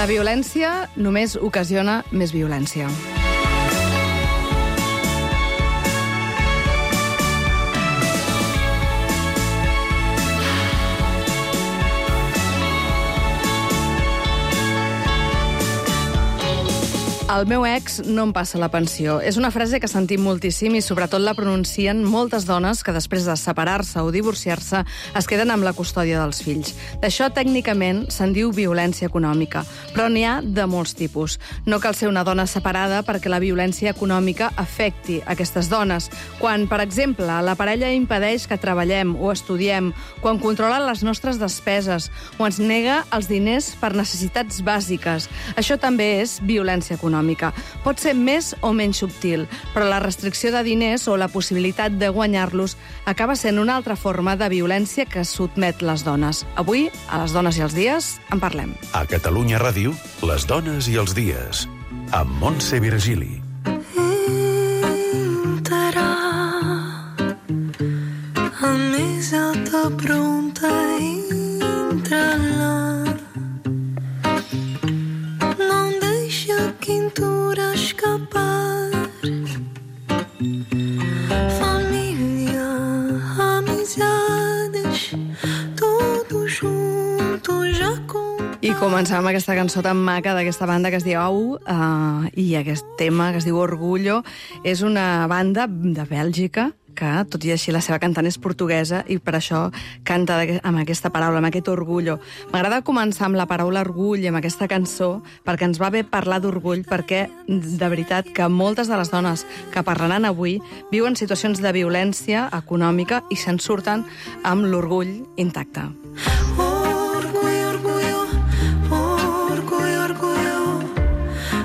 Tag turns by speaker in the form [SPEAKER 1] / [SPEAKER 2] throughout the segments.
[SPEAKER 1] La violència només ocasiona més violència. El meu ex no em passa la pensió. És una frase que sentim moltíssim i sobretot la pronuncien moltes dones que després de separar-se o divorciar-se es queden amb la custòdia dels fills. D'això tècnicament se'n diu violència econòmica, però n'hi ha de molts tipus. No cal ser una dona separada perquè la violència econòmica afecti aquestes dones. Quan, per exemple, la parella impedeix que treballem o estudiem, quan controla les nostres despeses o ens nega els diners per necessitats bàsiques. Això també és violència econòmica. Pot ser més o menys subtil, però la restricció de diners o la possibilitat de guanyar-los acaba sent una altra forma de violència que sotmet les dones. Avui, a Les dones i els dies, en parlem.
[SPEAKER 2] A Catalunya Ràdio, Les dones i els dies, amb Montse Virgili.
[SPEAKER 3] Entrarà a més alta pronta entrarà. Quintura escapar. Família, amizades, todos juntos ja com...
[SPEAKER 1] I començam amb aquesta cançó tan maca d'aquesta banda que es diu Au, i aquest tema que es diu Orgullo. És una banda de Bèlgica que, tot i així, la seva cantant és portuguesa i per això canta amb aquesta paraula, amb aquest orgullo. M'agrada començar amb la paraula orgull i amb aquesta cançó perquè ens va bé parlar d'orgull, perquè, de veritat, que moltes de les dones que parlaran avui viuen situacions de violència econòmica i se'n surten amb l'orgull intacte.
[SPEAKER 3] Orgullo, orgullo, orgullo, orgullo.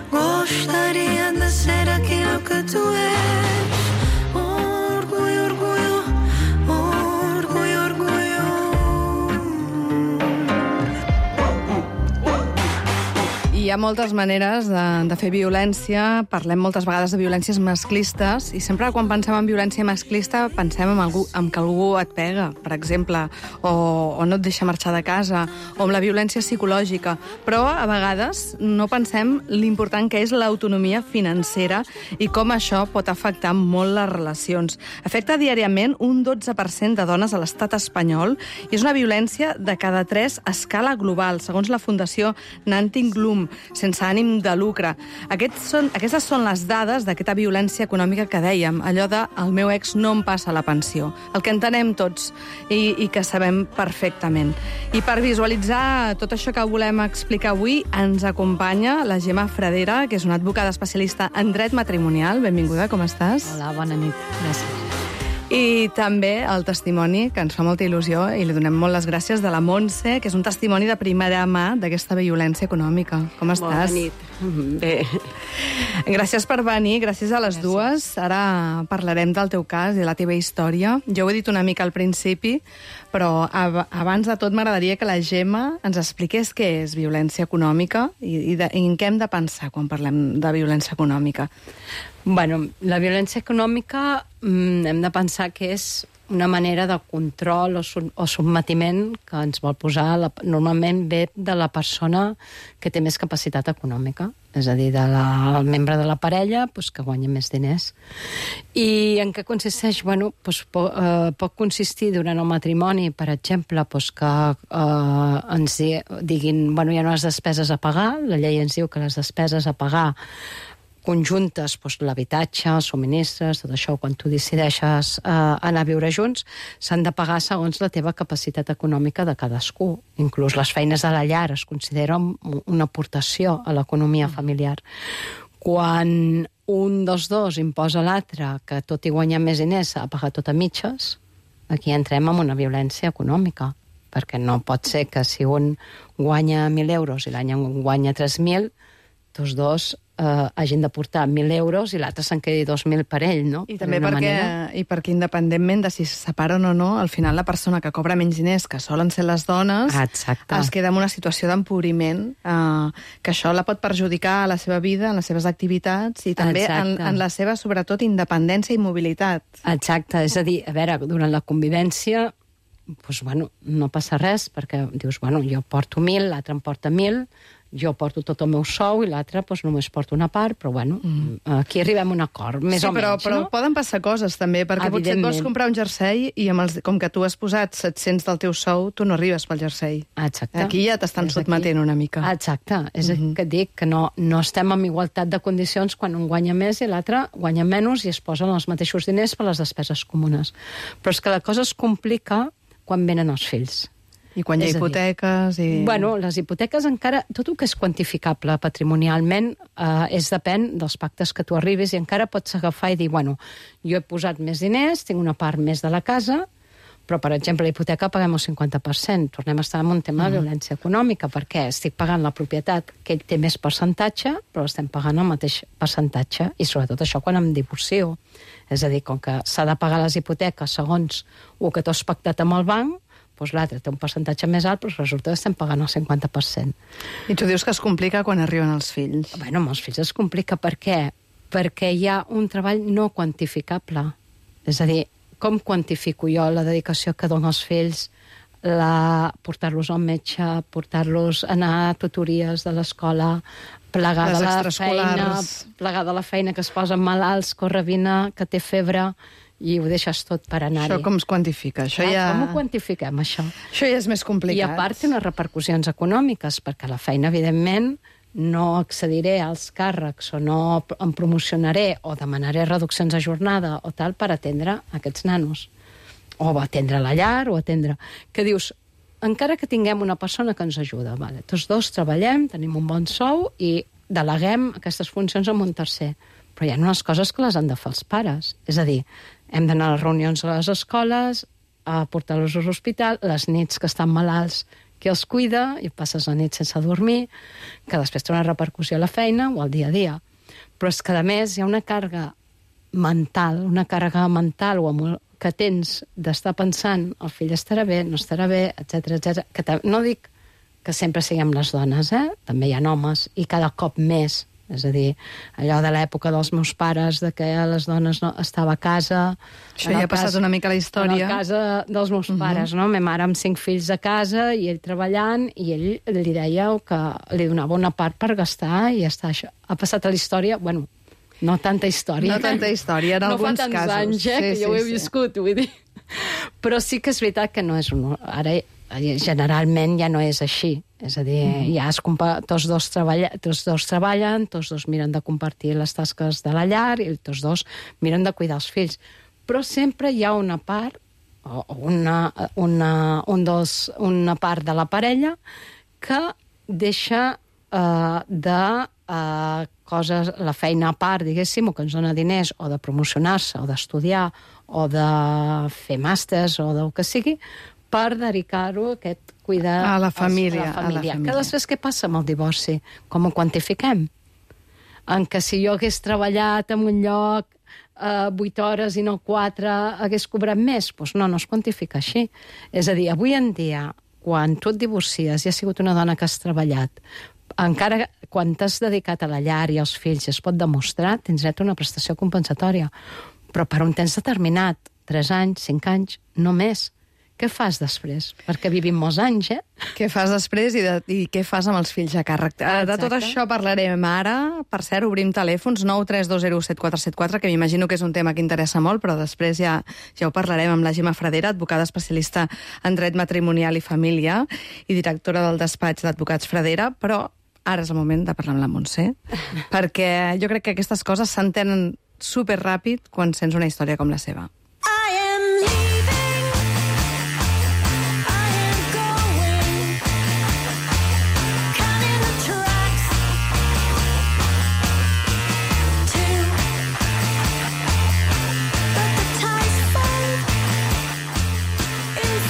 [SPEAKER 3] Gostaria de ser aquilo que tu és.
[SPEAKER 1] Hi ha moltes maneres de fer violència. Parlem moltes vegades de violències masclistes i sempre quan pensem en violència masclista pensem en que algú et pega, per exemple, o no et deixa marxar de casa, o amb la violència psicològica. Però a vegades no pensem l'important que és l'autonomia financera i com això pot afectar molt les relacions. Afecta diàriament un 12% de dones a l'estat espanyol i és una violència de cada 3 a escala global, segons la Fundació Nanting Glum, sense ànim de lucre. Aquestes són les dades d'aquesta violència econòmica que dèiem, allò de el meu ex no em passa la pensió, el que entenem tots i que sabem perfectament. I per visualitzar tot això que volem explicar avui, ens acompanya la Gemma Fradera, que és una advocada especialista en dret matrimonial. Benvinguda, com estàs?
[SPEAKER 4] Hola, bona nit. Gràcies.
[SPEAKER 1] I també el testimoni, que ens fa molta il·lusió, i li donem molt les gràcies, de la Montse, que és un testimoni de primera mà d'aquesta violència econòmica. Com estàs?
[SPEAKER 4] Bona nit. Bé.
[SPEAKER 1] Gràcies per venir, gràcies a les dues. Ara parlarem del teu cas i de la teva història. Jo ho he dit una mica al principi, però abans de tot m'agradaria que la Gemma ens expliqués què és violència econòmica i en què hem de pensar quan parlem de violència econòmica.
[SPEAKER 4] Bueno, la violència econòmica hem de pensar que és una manera de control o sotmetiment que ens vol posar, normalment ve de la persona que té més capacitat econòmica, és a dir, del membre de la parella que guanya més diners. I en què consisteix? Bueno, pot consistir durant el matrimoni, per exemple, que ens diguin, bueno, hi ha unes despeses a pagar, la llei ens diu que les despeses a pagar conjuntes, l'habitatge, els subministres, tot això, quan tu decideixes anar a viure junts, s'han de pagar segons la teva capacitat econòmica de cadascú. Inclús les feines de la llar es consideren una aportació a l'economia familiar. Quan un dels dos imposa a l'altre que tot i guanyar més diners s'ha de pagar tot a mitges, aquí entrem en una violència econòmica, perquè no pot ser que si un guanya 1.000 euros i l'any guanya 3.000, tots dos hagin de portar 1.000 euros i l'altre se'n quedi 2.000 per ell, no?
[SPEAKER 1] I també perquè independentment de si se separen o no, al final la persona que cobra menys diners, que solen ser les dones, es queda en una situació d'empobriment, que això la pot perjudicar a la seva vida, en les seves activitats i també en la seva, sobretot, independència i mobilitat.
[SPEAKER 4] Exacte, és a dir, a veure, durant la convivència doncs, bueno, no passa res, perquè dius, bueno, jo porto 1.000, l'altre em porta 1.000, jo porto tot el meu sou i l'altre doncs, només porto una part, però bueno, aquí arribem a un acord, més o menys,
[SPEAKER 1] però poden passar coses també, perquè potser et vols comprar un jersei i com que tu has posat 700 del teu sou, tu no arribes pel jersei.
[SPEAKER 4] Exacte.
[SPEAKER 1] Aquí ja t'estan sotmetent una mica.
[SPEAKER 4] Exacte, és que et dic que no estem en igualtat de condicions quan un guanya més i l'altre guanya menys i es posen els mateixos diners per les despeses comunes. Però és que la cosa es complica quan venen els fills.
[SPEAKER 1] I quan hi ha hipoteques...
[SPEAKER 4] Bueno, les hipoteques encara... Tot el que és quantificable patrimonialment depèn dels pactes que tu arribis i encara pots agafar i dir, bueno, jo he posat més diners, tinc una part més de la casa, però, per exemple, la hipoteca paguem el 50%. Tornem a estar en un tema de violència econòmica, perquè estic pagant la propietat que ell té més percentatge, però estem pagant el mateix percentatge, i sobretot això quan em divorcio. És a dir, com que s'ha de pagar les hipoteques segons el que tu has pactat amb el banc, doncs l'altre té un percentatge més alt, però resulta que estem pagant el 50%.
[SPEAKER 1] I tu dius que es complica quan arriben els fills.
[SPEAKER 4] Bueno, amb els fills es complica. Per què? Perquè hi ha un treball no quantificable. És a dir, com quantifico jo la dedicació que dono als fills, portar-los al metge, portar-los a anar a tutories de l'escola, plegar de la feina, que es posen malalts, corre, vine, que té febre, i ho deixes tot per anar-hi.
[SPEAKER 1] Això com es quantifica?
[SPEAKER 4] Com ho quantifiquem, això?
[SPEAKER 1] Això ja és més complicat.
[SPEAKER 4] I a part té unes repercussions econòmiques, perquè la feina, evidentment, no accediré als càrrecs o no em promocionaré o demanaré reduccions de jornada o tal per atendre aquests nanos. O atendre la llar, o atendre... Que dius, encara que tinguem una persona que ens ajuda, vale, tots dos treballem, tenim un bon sou i deleguem aquestes funcions amb un tercer. Però hi ha unes coses que les han de fer els pares. És a dir, hem d'anar a les reunions a les escoles, a portar-los a l'hospital, les nits que estan malalts, qui els cuida, i passes la nit sense dormir, que després té una repercussió a la feina o al dia a dia. Però és que, a més, hi ha una càrrega mental que tens d'estar pensant el fill estarà bé, no estarà bé, etc. Que no dic que sempre siguem les dones, també hi ha homes, i cada cop més. És a dir, allò de l'època dels meus pares, de que les dones no estava a casa...
[SPEAKER 1] Això ja ha passat una mica la història.
[SPEAKER 4] En el cas dels meus pares, no? Ma mare amb 5 fills a casa i ell treballant, i ell li deia que li donava una part per gastar i ja està. Això ha passat a la història, bueno, no tanta història.
[SPEAKER 1] No tanta història, en alguns casos.
[SPEAKER 4] No fa tants anys, que jo ho he viscut, vull dir. Però sí que és veritat que no és un... Ara, generalment ja no és així. És a dir, ja tots dos treballen, tots dos miren de compartir les tasques de la llar i tots dos miren de cuidar els fills. Però sempre hi ha una part, una part de la parella que deixa coses, la feina a part, diguéssim, o que ens dona diners, o de promocionar-se, o d'estudiar, o de fer màsters, o del que sigui, per dedicar-ho a aquest cuidar
[SPEAKER 1] a la família.
[SPEAKER 4] Que després què passa amb el divorci? Com ho quantifiquem? En que si jo hagués treballat en un lloc 8 hores i no 4, hagués cobrat més? Doncs no es quantifica així. És a dir, avui en dia, quan tu et divorcies i has sigut una dona que has treballat, encara quan t'has dedicat a la llar i als fills es pot demostrar, tens dret a una prestació compensatòria. Però per un temps determinat, 3 anys, 5 anys, no més. Què fas després? Perquè vivim molts anys,
[SPEAKER 1] Què fas després i què fas amb els fills a càrrec? De tot això parlarem ara. Per cert, obrim telèfons 932017474, que m'imagino que és un tema que interessa molt, però després ja ho parlarem amb la Gemma Fradera, advocada especialista en dret matrimonial i família i directora del despatx d'advocats Fradera, però ara és el moment de parlar amb la Montse, perquè jo crec que aquestes coses s'entenen superràpid quan sents una història com la seva.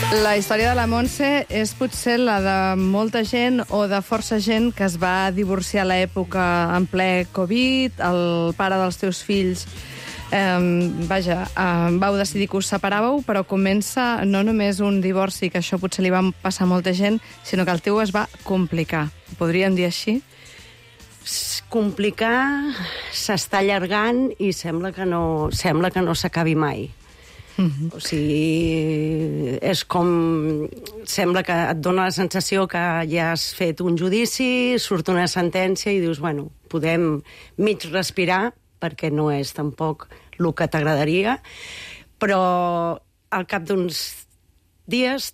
[SPEAKER 1] La història de la Montse és potser la de molta gent o de força gent que es va divorciar a l'època en ple Covid, el pare dels teus fills vau decidir que us separàveu, però comença no només un divorci, que això potser li va passar a molta gent, sinó que el teu es va complicar. Ho podríem dir així?
[SPEAKER 5] Complicar, s'està allargant i sembla que no s'acabi mai. O sigui, és com... Sembla que et dona la sensació que ja has fet un judici, surt una sentència i dius, bueno, podem mig respirar, perquè no és tampoc el que t'agradaria, però al cap d'uns dies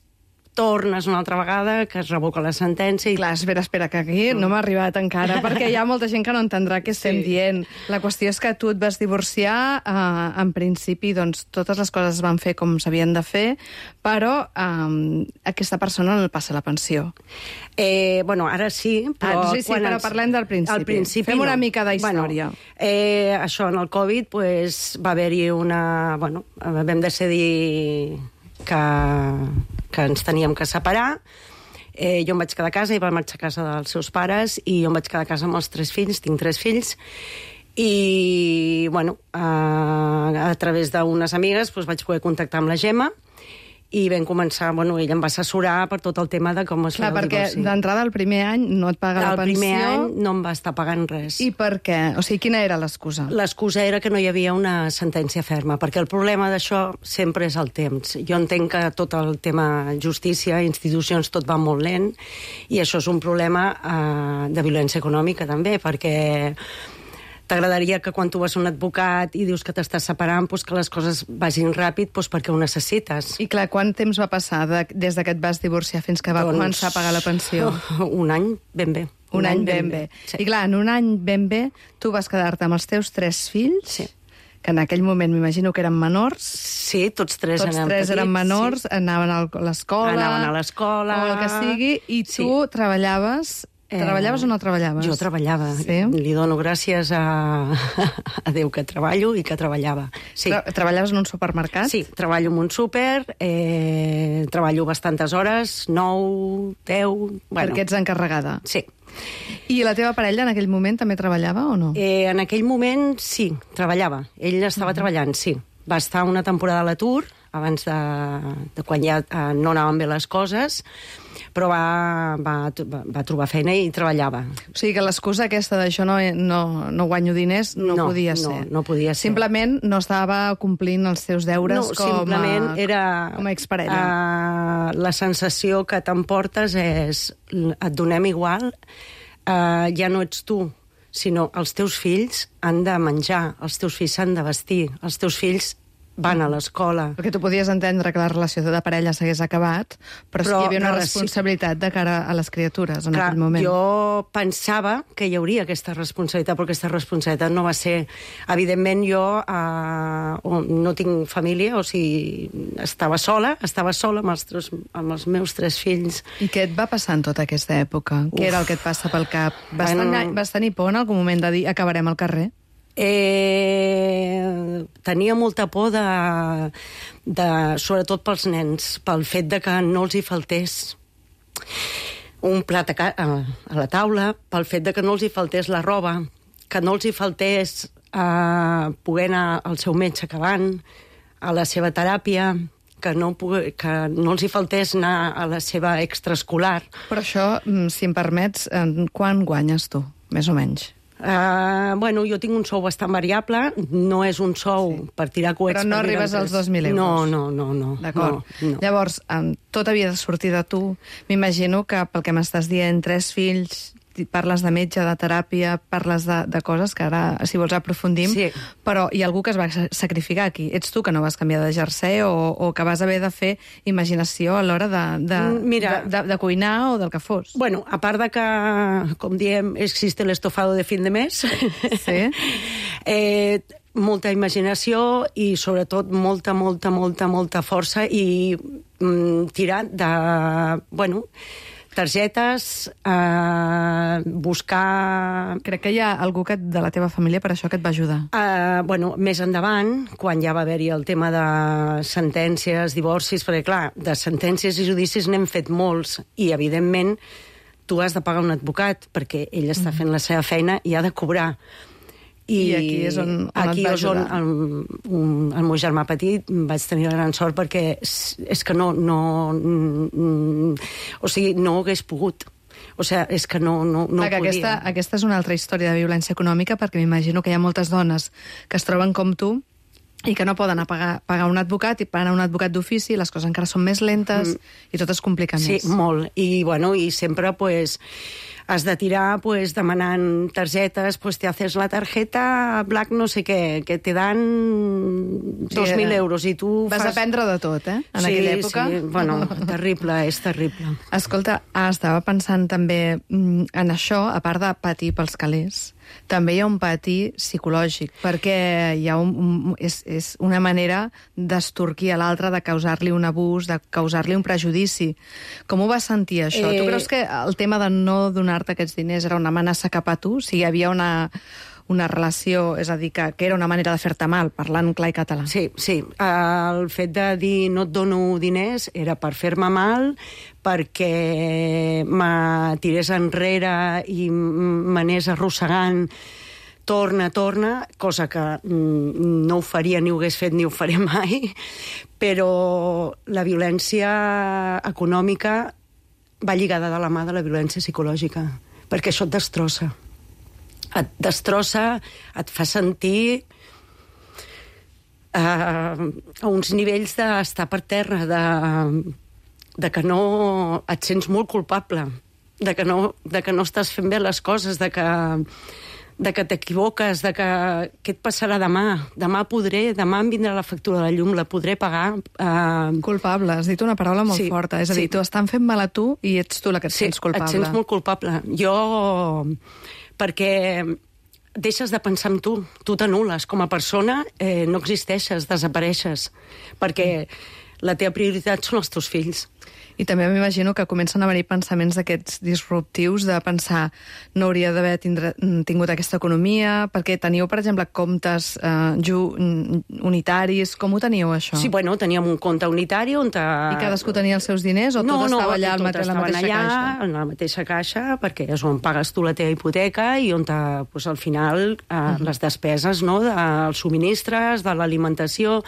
[SPEAKER 5] tornes una altra vegada, que es revoca la sentència... I...
[SPEAKER 1] Clar, espera, que aquí no m'ha arribat encara, perquè hi ha molta gent que no entendrà què estem dient. La qüestió és que tu et vas divorciar, en principi, doncs, totes les coses es van fer com s'havien de fer, però aquesta persona no passa la pensió.
[SPEAKER 5] Bueno, ara sí, però...
[SPEAKER 1] sí, però parlem del principi.
[SPEAKER 5] Al principi
[SPEAKER 1] Fem una mica d'història.
[SPEAKER 5] Bueno, això, en el Covid, pues, va haver-hi una... Bueno, vam decidir que ens teníem que separar. Jo em vaig quedar a casa, i va marxar a casa dels seus pares, i jo em vaig quedar a casa amb els 3 fills, tinc 3 fills, i, bueno, a través d'unes amigues doncs, vaig poder contactar amb la Gemma, i vam començar, bueno, ella em va assessorar per tot el tema de com es feia el divorci.
[SPEAKER 1] Perquè d'entrada el primer any no et paga la pensió.
[SPEAKER 5] El primer any no em va estar pagant res.
[SPEAKER 1] I per què? O sigui, quina era l'excusa?
[SPEAKER 5] L'excusa era que no hi havia una sentència ferma, perquè el problema d'això sempre és el temps. Jo entenc que tot el tema justícia, institucions, tot va molt lent, i això és un problema de violència econòmica també, perquè t'agradaria que quan tu vas a un advocat i dius que t'estàs separant, doncs que les coses vagin ràpid perquè ho necessites.
[SPEAKER 1] I clar, quant temps va passar des que et vas divorciar fins que va començar a pagar la pensió?
[SPEAKER 5] Un any ben bé.
[SPEAKER 1] Un any ben bé. Sí. I clar, en un any ben bé tu vas quedar-te amb els teus 3 fills,
[SPEAKER 5] sí,
[SPEAKER 1] que en aquell moment m'imagino que eren menors.
[SPEAKER 5] Sí, tots tres
[SPEAKER 1] eren menors, sí, anaven a l'escola.
[SPEAKER 5] Anaven a l'escola.
[SPEAKER 1] O el que sigui, i tu treballaves... Treballaves o no treballaves?
[SPEAKER 5] Jo treballava.
[SPEAKER 1] Sí?
[SPEAKER 5] Li dono gràcies a Déu que treballo i que treballava. Sí.
[SPEAKER 1] Treballaves en un supermercat?
[SPEAKER 5] Sí, treballo en un súper, treballo bastantes hores, 9, 10... Bueno.
[SPEAKER 1] Perquè ets encarregada?
[SPEAKER 5] Sí.
[SPEAKER 1] I la teva parella en aquell moment també treballava o no?
[SPEAKER 5] En aquell moment sí, treballava. Ell estava treballant, sí. Va estar una temporada a l'atur, abans de quan ja no anaven bé les coses, però va trobar feina i treballava.
[SPEAKER 1] O sigui que l'excusa aquesta d'això no guanyo diners no podia ser.
[SPEAKER 5] No podia ser.
[SPEAKER 1] Simplement no estava complint els seus deures com a exparella.
[SPEAKER 5] La sensació que t'emportes és et donem igual, ja no ets tu, sinó els teus fills han de menjar, els teus fills s'han de vestir, els teus fills van a l'escola.
[SPEAKER 1] Perquè tu podies entendre que la relació de parella s'hagués acabat, però sí que hi havia una responsabilitat de cara a les criatures en aquell moment.
[SPEAKER 5] Jo pensava que hi hauria aquesta responsabilitat, però aquesta responsabilitat no va ser... Evidentment, jo no tinc família, o sigui, estava sola amb els meus 3 fills.
[SPEAKER 1] I què et va passar en tota aquesta època? Què era el que et passa pel cap? Vas tenir por en algun moment de dir acabarem al carrer?
[SPEAKER 5] Tenia molta por sobretot pels nens, pel fet de que no els hi faltés un plat a la taula, pel fet de que no els hi faltés la roba, que no els hi faltés poder anar al seu metge acabant, a la seva teràpia, que no els hi faltés anar a la seva extraescolar.
[SPEAKER 1] Però això, si em permets, quan guanyes tu, més o menys?
[SPEAKER 5] Bueno, jo tinc un sou bastant variable, no és un sou per tirar coets...
[SPEAKER 1] Però no arribes als 2.000 euros?
[SPEAKER 5] No.
[SPEAKER 1] D'acord. No. Llavors, tot havia de sortir de tu. M'imagino que, pel que m'estàs dient, 3 fills, parles de metge, de teràpia, parles de coses que ara, si vols, aprofundim, sí. Però hi ha algú que es va sacrificar aquí. Ets tu que no vas canviar de jersei o que vas haver de fer imaginació a l'hora de cuinar o del que fos?
[SPEAKER 5] Bueno, a part de que, com diem, existe el estofado de fin de mes,
[SPEAKER 1] sí.
[SPEAKER 5] Molta imaginació i, sobretot, molta força i tirar de... Bueno, targetes, buscar...
[SPEAKER 1] Crec que hi ha algú de la teva família per això que et va ajudar.
[SPEAKER 5] Bueno, més endavant, quan ja va haver-hi el tema de sentències, divorcis, perquè, clar, de sentències i judicis n'hem fet molts, i, evidentment, tu has de pagar un advocat, perquè ell està fent la seva feina i ha de cobrar.
[SPEAKER 1] I aquí és on et va ajudar.
[SPEAKER 5] El meu germà petit vaig tenir la gran sort perquè és que no hagués pogut. O sigui, és que no podia.
[SPEAKER 1] Aquesta és una altra història de violència econòmica, perquè m'imagino que hi ha moltes dones que es troben com tu i que no poden pagar un advocat, i pagar un advocat d'ofici, les coses encara són més lentes i tot es complica més.
[SPEAKER 5] Sí, molt. I, bueno, i sempre, pues, has de tirar, pues, demanant targetes, pues, te haces la tarjeta Black no sé què, que te dan 2.000 euros, i tu
[SPEAKER 1] vas
[SPEAKER 5] fas...
[SPEAKER 1] aprendre de tot, en aquella època.
[SPEAKER 5] Sí, bueno, terrible, és terrible.
[SPEAKER 1] Escolta, estava pensant també en això, a part de patir pels calés, també hi ha un patir psicològic, perquè hi ha és una manera d'estorquir a l'altre, de causar-li un abús, de causar-li un prejudici. Com ho vas sentir, això? Tu creus que el tema de no donar-te aquests diners era una amenaça cap a tu? Si hi havia una relació, és a dir, que era una manera de fer-te mal, parlant clar i català.
[SPEAKER 5] Sí, sí. El fet de dir no et dono diners era per fer-me mal, perquè me tirés enrere i m'anés arrossegant torna, cosa que no ho faria, ni ho hagués fet, ni ho faré mai, però la violència econòmica va lligada de la mà de la violència psicològica, perquè això et destrossa. Et destrossa, et fa sentir a uns nivells d'estar per terra, de que no et sents molt culpable, de que no estàs fent bé les coses, de que t'equivoques, de que què et passarà demà? Demà em vindrà la factura de la llum, la podré pagar.
[SPEAKER 1] Culpable, has dit una paraula molt forta. És a dir, t'ho estan fent mal a tu i ets tu la que et sents culpable.
[SPEAKER 5] Sí, et sents molt culpable. Jo, perquè deixes de pensar en tu, tu t'anules. Com a persona no existeixes, desapareixes, perquè la teva prioritat són els teus fills.
[SPEAKER 1] I també m'imagino que comencen a venir pensaments d'aquests disruptius, de pensar no hauria d'haver tingut aquesta economia, perquè teníeu, per exemple, comptes unitaris. Com ho teníeu, això?
[SPEAKER 5] Sí, bueno, teníem un compte unitari on...
[SPEAKER 1] I cadascú tenia els seus diners o tot estava allà a la mateixa caixa?
[SPEAKER 5] En la mateixa caixa, perquè és on pagues tu la teva hipoteca i on, pues, al final, les despeses, no?, dels subministres, de l'alimentació...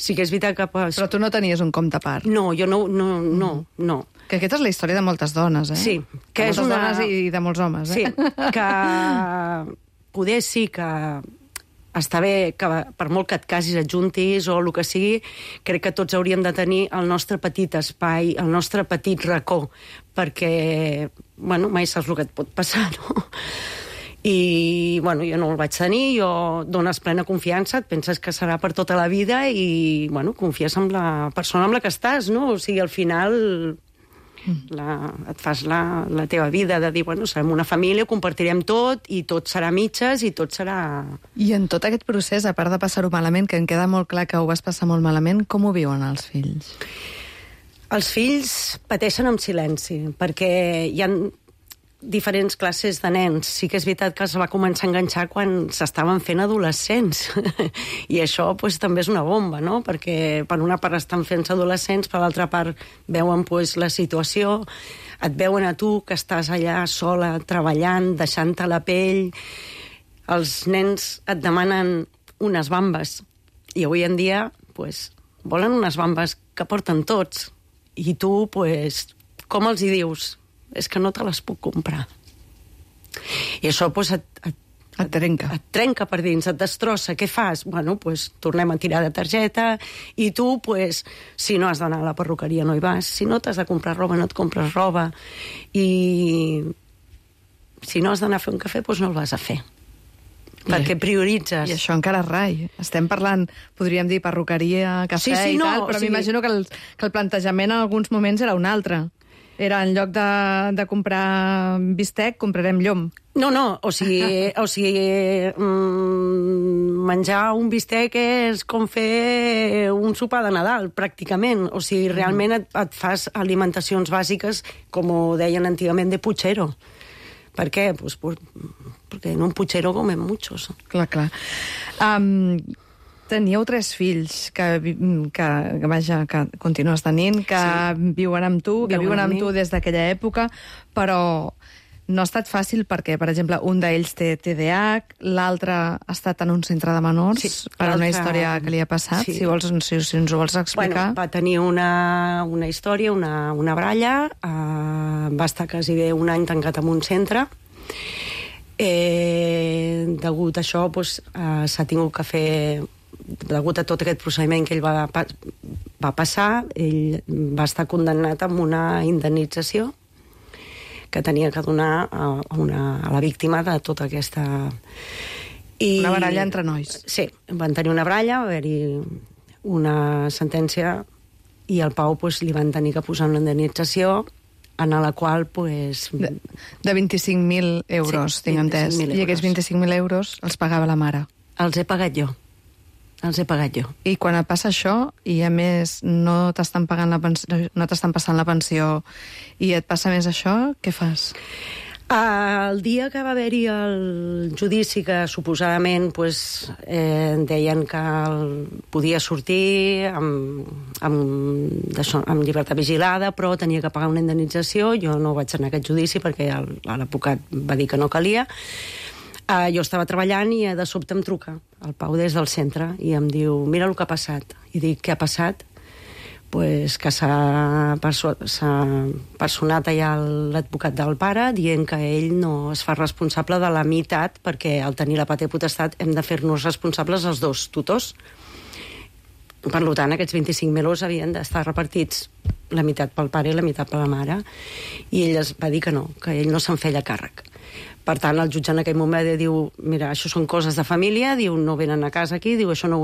[SPEAKER 5] Sí que és veritat que...
[SPEAKER 1] Però tu no tenies un compte a part?
[SPEAKER 5] No, jo no.
[SPEAKER 1] Que aquesta és la història de moltes dones,
[SPEAKER 5] Sí.
[SPEAKER 1] Que és una... dones i de molts homes,
[SPEAKER 5] Sí, que poder sí que està bé que per molt que et casis, et juntis o el que sigui, crec que tots hauríem de tenir el nostre petit espai, el nostre petit racó, perquè, bueno, mai saps el que et pot passar, no? I, bueno, jo no el vaig tenir, jo dones plena confiança, et penses que serà per tota la vida i, bueno, confies en la persona amb la que estàs, no? O sigui, al final et fas la teva vida de dir, bueno, serem una família, ho compartirem tot i tot serà mitges i tot serà...
[SPEAKER 1] I en tot aquest procés, a part de passar-ho malament, que em queda molt clar que ho vas passar molt malament, com ho viuen els fills?
[SPEAKER 5] Els fills pateixen en silenci, perquè hi ha diferents classes de nens. Sí que és veritat que es va començar a enganxar quan s'estaven fent adolescents. I això pues, també és una bomba, no? Perquè per una part estan fent-se adolescents, per l'altra part veuen pues, la situació, et veuen a tu que estàs allà sola, treballant, deixant-te la pell. Els nens et demanen unes bambes. I avui en dia pues, volen unes bambes que porten tots. I tu, pues, com els hi dius? És que no te les puc comprar. I això pues,
[SPEAKER 1] et trenca.
[SPEAKER 5] Et trenca per dins, et destrossa. Què fas? Bueno, pues, tornem a tirar de targeta i tu, pues, si no has d'anar a la perruqueria no hi vas, si no t'has de comprar roba no et compres roba i si no has d'anar a fer un cafè pues no el vas a fer. Perquè prioritzes.
[SPEAKER 1] I això encara rai. Estem parlant, podríem dir, perruqueria, cafè i tal, però m'imagino que el plantejament en alguns moments era un altre. Era, en lloc de comprar bistec, comprarem llom.
[SPEAKER 5] No, o sigui menjar un bistec és com fer un sopar de Nadal, pràcticament. O sigui, realment et fas alimentacions bàsiques, com ho deien antigament, de puchero. Per què? Pues porque en un puchero comen muchos.
[SPEAKER 1] Clar. Teníeu 3 fills que continues tenint, que viuen amb tu, que viuen amb tu des d'aquella època, però no ha estat fàcil perquè, per exemple, un d'ells té TDAH, l'altre ha estat en un centre de menors per una història que li ha passat. Si ens ho vols explicar.
[SPEAKER 5] Bueno, va tenir una història, una bralla, va estar quasi bé un any tancat en un centre. Degut a això s'ha tingut que fer degut a tot aquest procediment que ell va passar, ell va estar condemnat amb una indemnització que tenia que donar a la víctima de tota aquesta...
[SPEAKER 1] Una baralla entre nois.
[SPEAKER 5] Sí, van tenir una baralla, va haver-hi una sentència i al Pau li van tenir que posar una indemnització en la qual...
[SPEAKER 1] De 25.000 euros, tinc entès. I aquests 25.000 euros els pagava la mare.
[SPEAKER 5] Els he pagat jo.
[SPEAKER 1] I quan et passa això, i a més no t'estan pagant la pensió, no t'estan passant la pensió, i et passa més això, què fas?
[SPEAKER 5] El dia que va haver-hi el judici, que suposadament deien que podia sortir amb llibertat vigilada, però tenia que pagar una indemnització, jo no vaig anar a aquest judici perquè l'advocat va dir que no calia. Jo estava treballant i de sobte em truca el Pau des del centre i em diu, mira el que ha passat. I dic, què ha passat? Que s'ha personat allà l'advocat del pare dient que ell no es fa responsable de la meitat perquè al tenir la patria potestat hem de fer-nos responsables els dos tutors. Per tant, aquests 25.000 euros havien d'estar repartits la meitat pel pare i la meitat per la mare. I ell es va dir que no, que ell no se'n feia càrrec. Per tant, el jutge en aquell moment diu, mira, això són coses de família, diu, no venen a casa aquí, diu, això no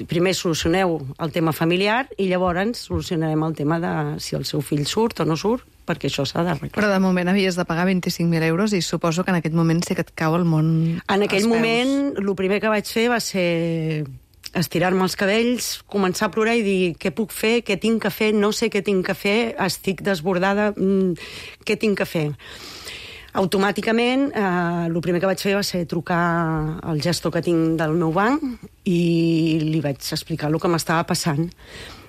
[SPEAKER 5] primer solucioneu el tema familiar i llavors solucionarem el tema de si el seu fill surt o no surt, perquè això s'ha d'arreglar.
[SPEAKER 1] Però de moment havies de pagar 25.000 euros i suposo que en aquest moment sí que et cau el món
[SPEAKER 5] en aquell moment, el primer que vaig fer va ser estirar-me els cabells, començar a plorar i dir què puc fer, què tinc que fer, no sé què tinc que fer, estic desbordada, què tinc que fer? Automàticament, el primer que vaig fer va ser trucar al gestor que tinc del meu banc i li vaig explicar el que m'estava passant.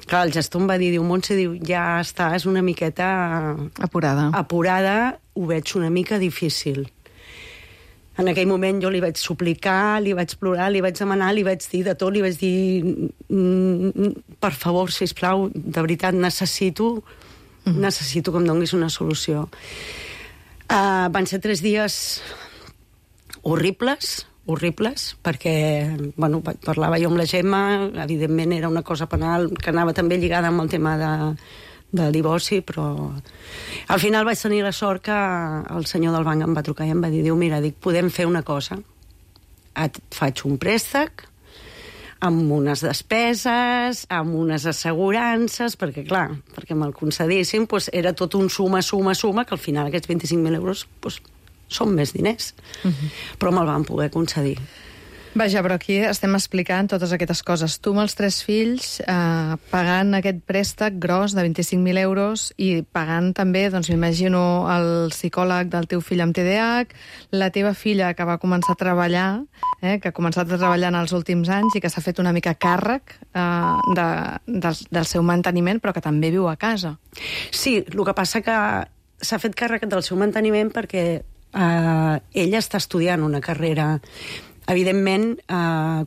[SPEAKER 5] Clar, el gestor em va dir, Montse, ja estàs una miqueta... Apurada, ho veig una mica difícil. En aquell moment jo li vaig suplicar, li vaig plorar, li vaig demanar, li vaig dir de tot, li vaig dir, per favor, sisplau, de veritat, necessito que em donis una solució. Van ser 3 dies horribles, perquè parlava jo amb la Gemma, evidentment era una cosa penal que anava també lligada amb el tema de divorci, però al final vaig tenir la sort que el senyor del banc em va trucar i em va dir, mira, podem fer una cosa, et faig un préstec amb unes despeses, amb unes assegurances, perquè clar, perquè me'l concedissin, era tot un suma, que al final aquests 25.000 euros són més diners. Però me'l van poder concedir.
[SPEAKER 1] Vaja, però aquí estem explicant totes aquestes coses. Tu amb els 3 fills, pagant aquest préstec gros de 25.000 euros i pagant també, doncs m'imagino, el psicòleg del teu fill amb TDAH, la teva filla que va començar a treballar, que ha començat a treballar en els últims anys i que s'ha fet una mica càrrec del seu manteniment, però que també viu a casa.
[SPEAKER 5] Sí, el que passa que s'ha fet càrrec del seu manteniment perquè ella està estudiant una carrera. Evidentment,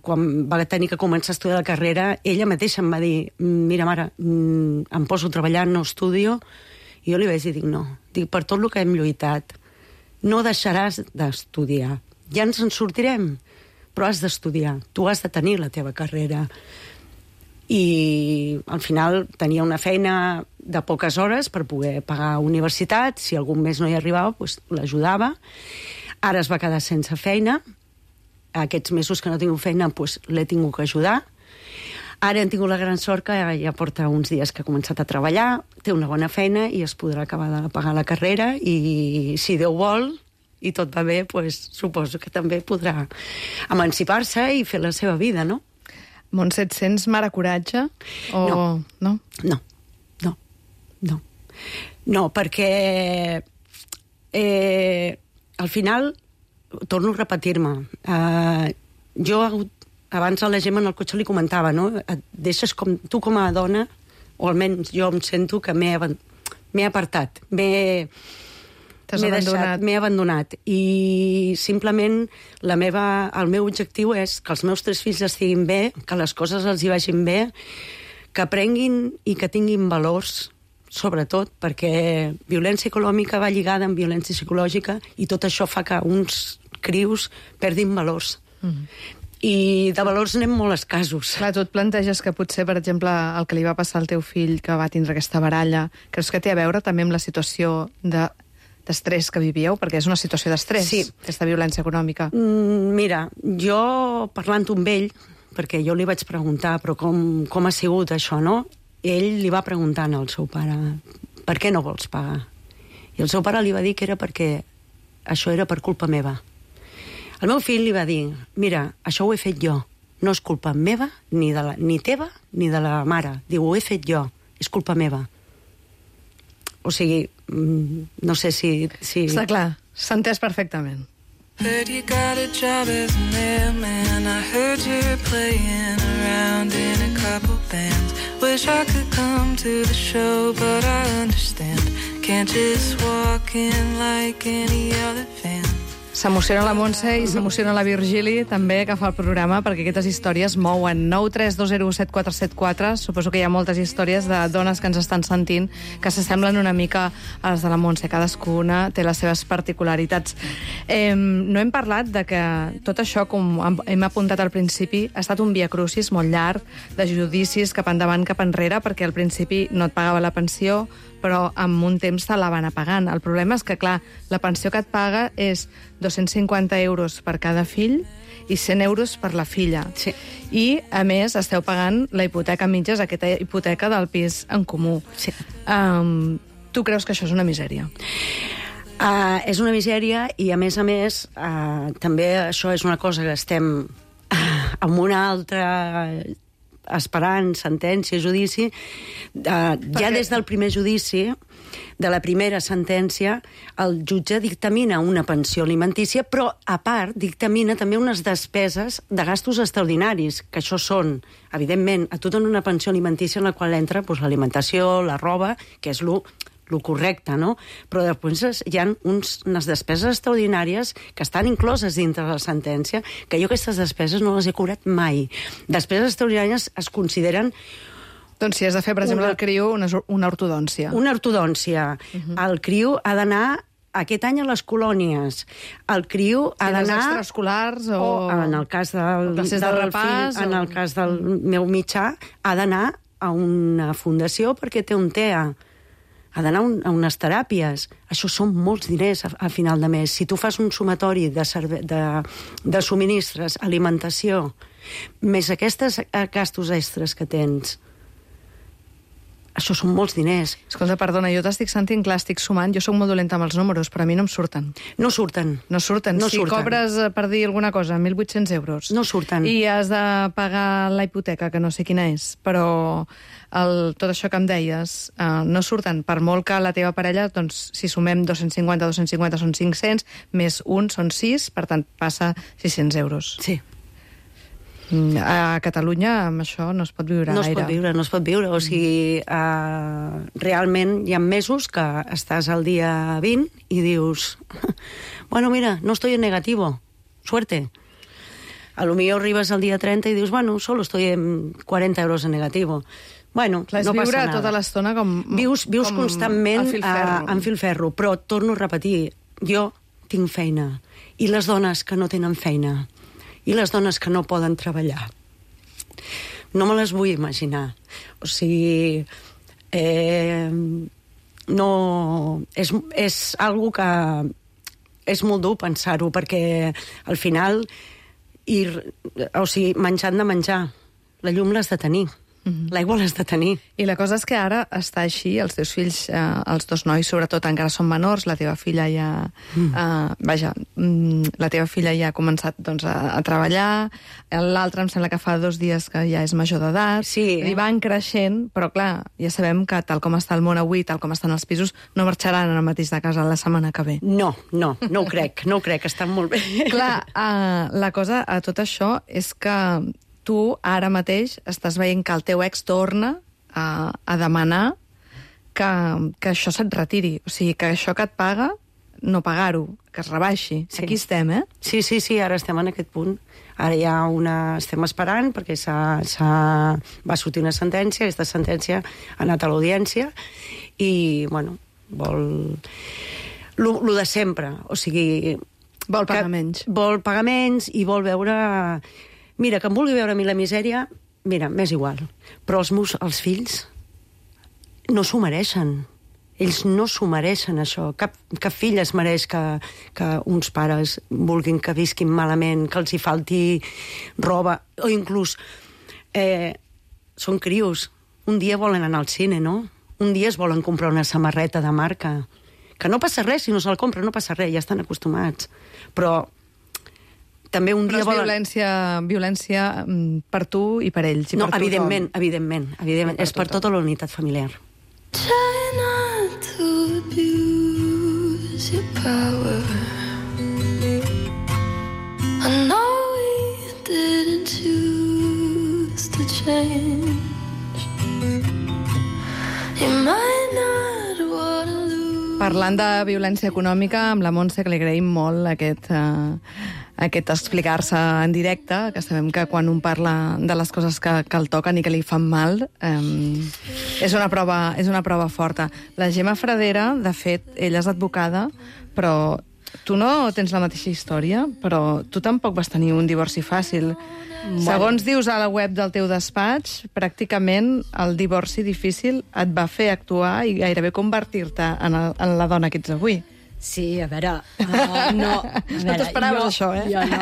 [SPEAKER 5] quan va tenir que començar a estudiar la carrera, ella mateixa em va dir, mira, mare, em poso a treballar, no estudio. I jo li vaig dir, no. Per tot el que hem lluitat, no deixaràs d'estudiar. Ja ens en sortirem, però has d'estudiar. Tu has de tenir la teva carrera. I al final tenia una feina de poques hores per poder pagar universitat. Si algun mes no hi arribava, l'ajudava. Ara es va quedar sense feina. Aquests mesos que no tinc feina l'he tingut que ajudar. Ara hem tingut la gran sort que ja porta uns dies que ha començat a treballar, té una bona feina i es podrà acabar de pagar la carrera i si Déu vol i tot va bé, suposo que també podrà emancipar-se i fer la seva vida, no?
[SPEAKER 1] Montse, et sents mare coratge? No.
[SPEAKER 5] No, perquè al final torno a repetir-me. Jo abans a la Gemma en el cotxe li comentava, no? Et deixes tu com a dona, o almenys jo em sento que m'he apartat, m'he abandonat. I simplement el meu objectiu és que els meus 3 fills estiguin bé, que les coses els hi vagin bé, que aprenguin i que tinguin valors, sobretot perquè violència econòmica va lligada amb violència psicològica i tot això fa que uns crius perdin valors. I de valors anem molt escassos.
[SPEAKER 1] Clar, tu et planteges que potser, per exemple, el que li va passar al teu fill, que va tindre aquesta baralla, creus que té a veure també amb la situació d'estrès que vivíeu? Perquè és una situació d'estrès,
[SPEAKER 5] Sí.
[SPEAKER 1] aquesta violència econòmica.
[SPEAKER 5] Mira, jo parlant amb ell, perquè jo li vaig preguntar però com ha sigut això, no? Ell li va preguntar al seu pare per què no vols pagar? I el seu pare li va dir que era perquè això era per culpa meva. El meu fill li va dir, mira, això ho he fet jo, no és culpa meva, ni teva, ni de la mare. Diu, ho he fet jo, és culpa meva. O sigui, no sé si...
[SPEAKER 1] Està clar, s'ha entès perfectament.
[SPEAKER 3] Heard you got a job as a mailman. I heard you're playing around in a couple bands. Wish I could come to the show, but I understand. Can't just walk in like any other fan.
[SPEAKER 1] S'emociona la Montse i s'emociona la Virgili, també, que fa el programa, perquè aquestes històries mouen. 932017474. Suposo que hi ha moltes històries de dones que ens estan sentint que s'assemblen una mica a les de la Montse. Cadascuna té les seves particularitats. No hem parlat de que tot això, com hem apuntat al principi, ha estat un viacrucis molt llarg, de judicis cap endavant, cap enrere, perquè al principi no et pagava la pensió, però amb un temps te la van apagant. El problema és que, clar, la pensió que et paga és 250 euros per cada fill i 100 euros per la filla.
[SPEAKER 5] Sí.
[SPEAKER 1] I, a més, esteu pagant la hipoteca a mitges, aquesta hipoteca del pis en comú.
[SPEAKER 5] Sí.
[SPEAKER 1] Tu creus que això és una misèria?
[SPEAKER 5] És una misèria i, a més, també això és una cosa que estem amb una altra esperant sentència, judici. Ja des del primer judici, de la primera sentència, el jutge dictamina una pensió alimentícia, però, a part, dictamina també unes despeses de gastos extraordinaris, que això són, evidentment, a tu dona una pensió alimentícia en la qual entra l'alimentació, la roba, que és lo correcte, no? Però després hi ha unes despeses extraordinàries que estan incloses dintre de la sentència, que jo aquestes despeses no les he cobrat mai. Despeses extraordinàries es consideren...
[SPEAKER 1] Doncs si has de fer, per exemple, el CRIU, una ortodòncia.
[SPEAKER 5] Una ortodòncia. El CRIU ha d'anar aquest any a les colònies. El CRIU ha d'anar...
[SPEAKER 1] extraescolars o...
[SPEAKER 5] En el cas del
[SPEAKER 1] classes de repàs,
[SPEAKER 5] fill, en el cas del meu mitjà, ha d'anar a una fundació perquè té un TEA. Ha d'anar a unes teràpies. Això són molts diners a final de mes. Si tu fas un sumatori de subministres, alimentació, més aquests gastos extres que tens, això són molts diners.
[SPEAKER 1] Escolta, perdona, jo t'estic sentint clar, estic sumant, jo soc molt dolenta amb els números, però a mi no em surten.
[SPEAKER 5] No surten.
[SPEAKER 1] No surten. Si cobres, per dir alguna cosa, 1.800 euros...
[SPEAKER 5] No surten.
[SPEAKER 1] I has de pagar la hipoteca, que no sé quina és, però tot això que em deies no surten. Per molt que la teva parella, doncs, si sumem 250 són 500, més un són 6, per tant, passa 600 euros.
[SPEAKER 5] Sí.
[SPEAKER 1] A Catalunya amb això no es pot viure gaire.
[SPEAKER 5] No es pot viure. O sigui, realment hi ha mesos que estàs al dia 20 i dius, bueno, mira, no estoy en negativo, suerte. A lo millor arribes al dia 30 i dius, bueno, solo estoy en 40 euros en negativo. Bueno,
[SPEAKER 1] clar,
[SPEAKER 5] no passa
[SPEAKER 1] nada. Tota l'estona com...
[SPEAKER 5] Vius constantment en filferro, però torno a repetir, jo tinc feina, i les dones que no tenen feina, i les dones que no poden treballar. No me les vull imaginar. O sigui, no... És algo que és molt dur pensar-ho, perquè al final, o sigui, menjant de menjar, la llum l'has de tenir. L'aigua l'has de tenir.
[SPEAKER 1] I la cosa és que ara està així, els teus fills, els dos nois, sobretot, encara són menors, la teva filla ja... la teva filla ja ha començat doncs, a treballar, l'altre em sembla que fa 2 dies que ja és major d'edat,
[SPEAKER 5] sí,
[SPEAKER 1] i van creixent, però clar, ja sabem que tal com està el món avui, tal com estan els pisos, no marxaran al mateix de casa la setmana que ve.
[SPEAKER 5] No ho crec, estan molt bé.
[SPEAKER 1] Clar, la cosa a tot això és que tu ara mateix estàs veient que el teu ex torna a demanar que això se't retiri. O sigui, que això que et paga, no pagar-ho, que es rebaixi. Sí. Aquí estem, eh?
[SPEAKER 5] Sí, ara estem en aquest punt. Ara hi ha estem esperant, perquè va sortir una sentència, aquesta sentència ha anat a l'audiència, i, bueno, vol... Lo de sempre, o sigui...
[SPEAKER 1] Vol pagar menys.
[SPEAKER 5] Vol pagar menys i vol veure... Mira, que em vulgui veure a mi la misèria, mira, m'és igual. Però els fills no s'ho mereixen. Ells no s'ho mereixen, això. Cap fill es mereix que uns pares vulguin que visquin malament, que els hi falti roba, o inclús són crios. Un dia volen anar al cine, no? Un dia es volen comprar una samarreta de marca. Que no passa res, si no se'l compra, no passa res, ja estan acostumats. Però també un dia volen...
[SPEAKER 1] violència per tu i per ells.
[SPEAKER 5] No, evidentment. És per tota la unitat familiar.
[SPEAKER 3] Try not to abuse your power. I know we didn't choose to change. You might not want to lose.
[SPEAKER 1] Parlant de violència econòmica, amb la Montse, que li agraïm molt aquest explicar-se en directe, que sabem que quan un parla de les coses que el toquen i que li fan mal, és una prova forta. La Gemma Fradera, de fet, ella és advocada, però tu no tens la mateixa història, però tu tampoc vas tenir un divorci fàcil. Segons dius a la web del teu despatx, pràcticament el divorci difícil et va fer actuar i gairebé convertir-te en la dona que ets avui.
[SPEAKER 4] Sí, a veure... no
[SPEAKER 1] t'esperaves, això, eh?
[SPEAKER 4] Jo no.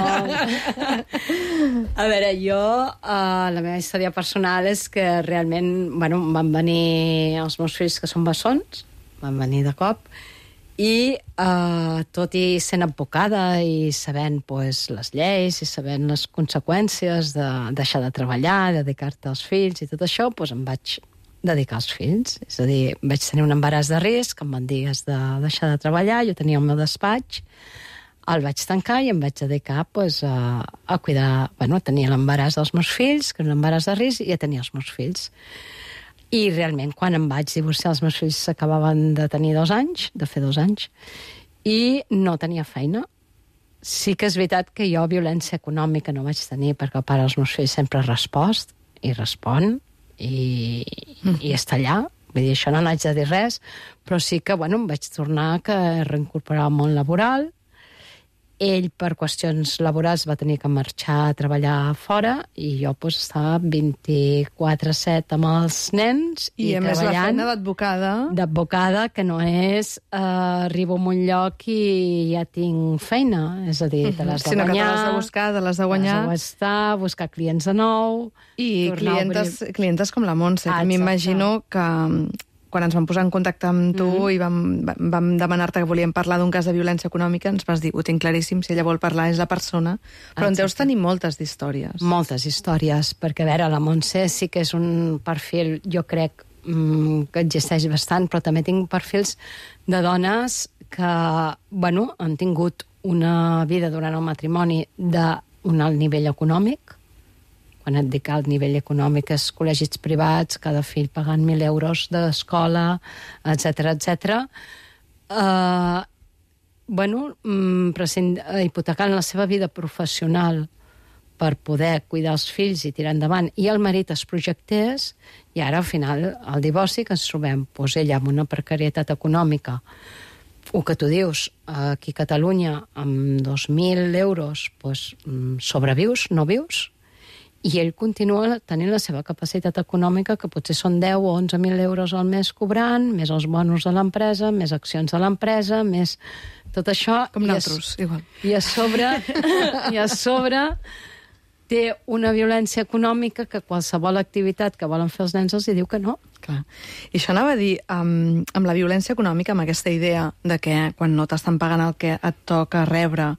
[SPEAKER 4] A veure, la meva història personal és que realment, bueno, van venir els meus fills, que són bessons, van venir de cop, i tot i sent advocada i sabent pues, les lleis i sabent les conseqüències de deixar de treballar, de dedicar-te als fills i tot això, pues, em vaig dedicar als fills. És a dir, vaig tenir un embaràs de risc, em van dir has de deixar de treballar, jo tenia el meu despatx, el vaig tancar i em vaig dedicar pues, a cuidar... Bueno, tenia l'embaràs dels meus fills, que era un embaràs de risc, i ja tenia els meus fills. I realment, quan em vaig divorciar, els meus fills s'acabaven de tenir 2 anys, de fer 2 anys, i no tenia feina. Sí que és veritat que jo violència econòmica no vaig tenir, perquè el pare dels meus fills sempre ha respost, i respon, i està allà. Vull dir, això no n'haig de dir res, però sí que, bueno, em vaig tornar a reincorporar al món laboral. Ell, per qüestions laborals, va tenir que marxar a treballar fora i jo pues, estava 24/7 amb els nens i
[SPEAKER 1] a més la feina d'advocada.
[SPEAKER 4] D'advocada, que no és arribo a un lloc i ja tinc feina. És a dir, te l'has de guanyar.
[SPEAKER 1] Sinó que te l'has de buscar, te l'has de guanyar.
[SPEAKER 4] Buscar clients de nou.
[SPEAKER 1] I clientes com la Montse, que m'imagino que quan ens vam posar en contacte amb tu i vam demanar-te que volíem parlar d'un cas de violència econòmica, ens vas dir, ho tinc claríssim, si ella vol parlar és la persona, però en deus tenir moltes d'històries.
[SPEAKER 4] Moltes històries, perquè a veure, la Montse sí que és un perfil, jo crec, que existeix bastant, però també tinc perfils de dones que, bueno, han tingut una vida durant el matrimoni d'un alt nivell econòmic. Quan et dic alt nivell econòmic és col·legis privats, cada fill pagant 1.000 euros d'escola, etc. Bueno, hipotecant la seva vida professional per poder cuidar els fills i tirar endavant, i el marit es projectés, i ara, al final, al divorci, que ens trobem, doncs ella amb una precarietat econòmica, o que tu dius, aquí a Catalunya, amb 2.000 euros, doncs, sobrevius, no vius, i ell continua tenint la seva capacitat econòmica, que potser són 10 o 11.000 euros al mes cobrant, més els bonus de l'empresa, més accions de l'empresa, més tot això.
[SPEAKER 1] Com nosaltres, igual.
[SPEAKER 4] I a sobre té una violència econòmica que qualsevol activitat que volen fer els nens els hi diu que no.
[SPEAKER 1] Clar. I això anava a dir, amb la violència econòmica, amb aquesta idea de que quan no t'estan pagant el que et toca rebre,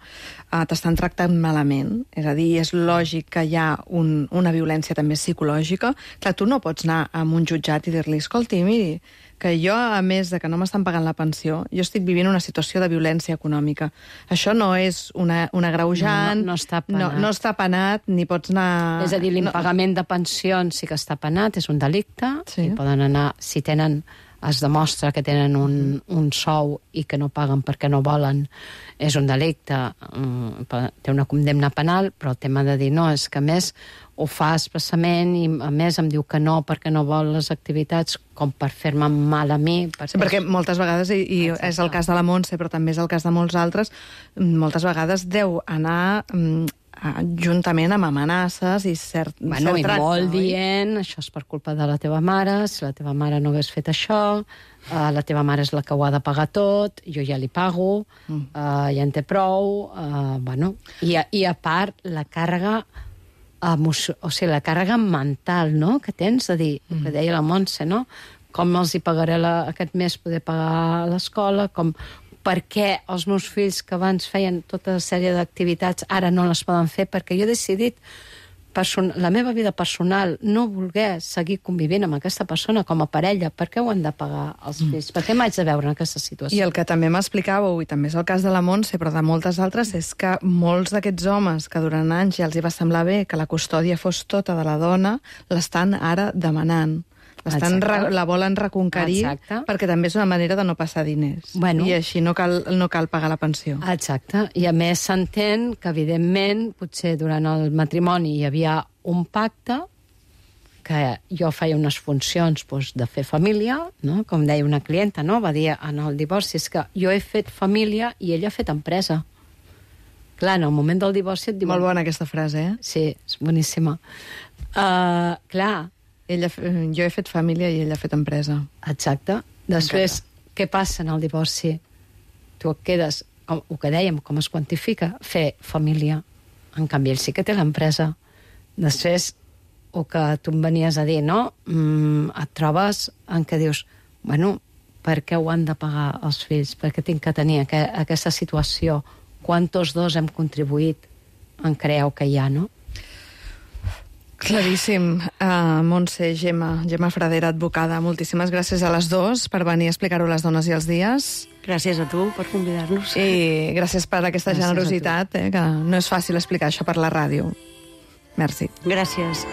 [SPEAKER 1] t'estan tractant malament, és a dir, és lògic que hi ha una violència també psicològica. Clar, tu no pots anar a un jutjat i dir-li, escolti, miri, que jo, a més de que no m'estan pagant la pensió, jo estic vivint una situació de violència econòmica. Això no és una agreujant,
[SPEAKER 4] no està penat.
[SPEAKER 1] No està penat, ni pots anar...
[SPEAKER 4] És a dir, l'impagament de pensions sí que està penat, és un delicte, sí. I poden anar, si tenen, es demostra que tenen un sou i que no paguen perquè no volen, és un delicte, té una condemna penal, però el tema de dir no, és que a més ho fa expressament i a més em diu que no perquè no vol les activitats com per fer-me mal a mi.
[SPEAKER 1] Sí, perquè moltes vegades, i és el cas de la Montse, però també és el cas de molts altres, moltes vegades deu anar juntament amb amenaces i cert
[SPEAKER 4] I
[SPEAKER 1] tracte,
[SPEAKER 4] molt dient, això és per culpa de la teva mare, si la teva mare no hagués fet això, la teva mare és la que ho ha de pagar tot, jo ja li pago, ja en té prou, I a part, la càrrega la càrrega mental, no?, que tens, de dir, el que deia la Montse, no?, com els hi pagaré aquest mes poder pagar l'escola, per què els meus fills que abans feien tota una sèrie d'activitats ara no les poden fer, perquè jo he decidit la meva vida personal no voler seguir convivint amb aquesta persona com a parella, per què ho han de pagar els fills? Per què m'haig de veure en aquesta situació?
[SPEAKER 1] I el que també m'explicàveu, i també és el cas de la Montse, però de moltes altres, és que molts d'aquests homes que durant anys ja els hi va semblar bé que la custòdia fos tota de la dona, l'estan ara demanant. La volen reconquerir perquè també és una manera de no passar diners. I així no cal pagar la pensió.
[SPEAKER 4] Exacte. I a més s'entén que, evidentment, potser durant el matrimoni hi havia un pacte que jo feia unes funcions de fer família, no? Com deia una clienta, no? Va dir en el divorci, és que jo he fet família i ella ha fet empresa. Clar, en el moment del divorci et diuen...
[SPEAKER 1] Molt bona aquesta frase, eh?
[SPEAKER 4] Sí, és boníssima. Clar,
[SPEAKER 1] jo he fet família i ella ha fet empresa.
[SPEAKER 4] Exacte. Després, què passa en el divorci? Tu et quedes, el que dèiem, com es quantifica? Fer família. En canvi, ell sí que té l'empresa. Després, el que tu em venies a dir, no? Et trobes en què dius, per què ho han de pagar els fills? Per què tinc que tenir aquesta situació? Quan tots dos hem contribuït en crear el que hi ha, no?
[SPEAKER 1] Claríssim. Montse, Gemma Fradera, advocada, moltíssimes gràcies a les dues per venir a explicar-ho a les dones i els dies.
[SPEAKER 5] Gràcies a tu per convidar-nos.
[SPEAKER 1] I gràcies per aquesta generositat, que no és fàcil explicar això per la ràdio. Merci.
[SPEAKER 5] Gràcies.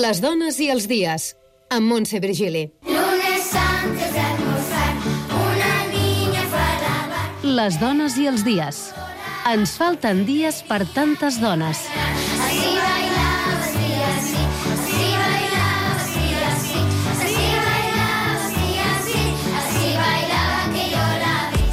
[SPEAKER 6] Les dones i els dies, amb Montse Virgili.
[SPEAKER 7] Lunes antes de almorzar, una niña fue a la bar.
[SPEAKER 6] Les dones i els dies. Ens falten dies per tantes dones.
[SPEAKER 7] Así bailaba, así, así, así bailaba, así, así, así bailaba, así, así, así bailaba que yo la vi.